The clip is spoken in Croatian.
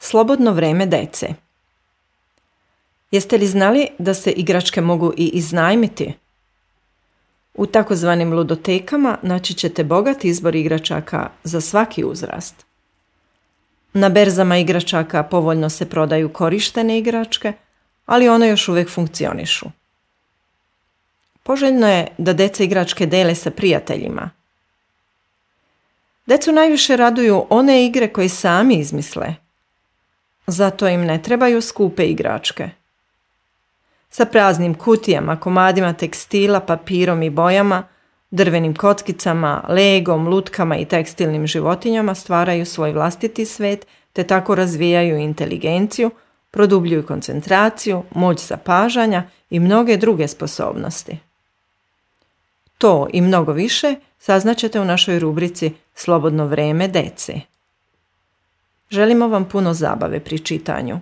Slobodno vrijeme dece. Jeste li znali da se igračke mogu i iznajmiti? U takozvanim ludotekama naći ćete bogat izbor igračaka za svaki uzrast. Na berzama igračaka povoljno se prodaju korištene igračke, ali one još uvijek funkcionišu. Poželjno je da deca igračke dele sa prijateljima. Decu najviše raduju one igre koje sami izmisle. Zato im ne trebaju skupe igračke. Sa praznim kutijama, komadima tekstila, papirom i bojama, drvenim kockicama, legom, lutkama i tekstilnim životinjama stvaraju svoj vlastiti svet te tako razvijaju inteligenciju, produbljuju koncentraciju, moć zapažanja i mnoge druge sposobnosti. To i mnogo više saznaćete u našoj rubrici Slobodno vrijeme dece. Želimo vam puno zabave pri čitanju.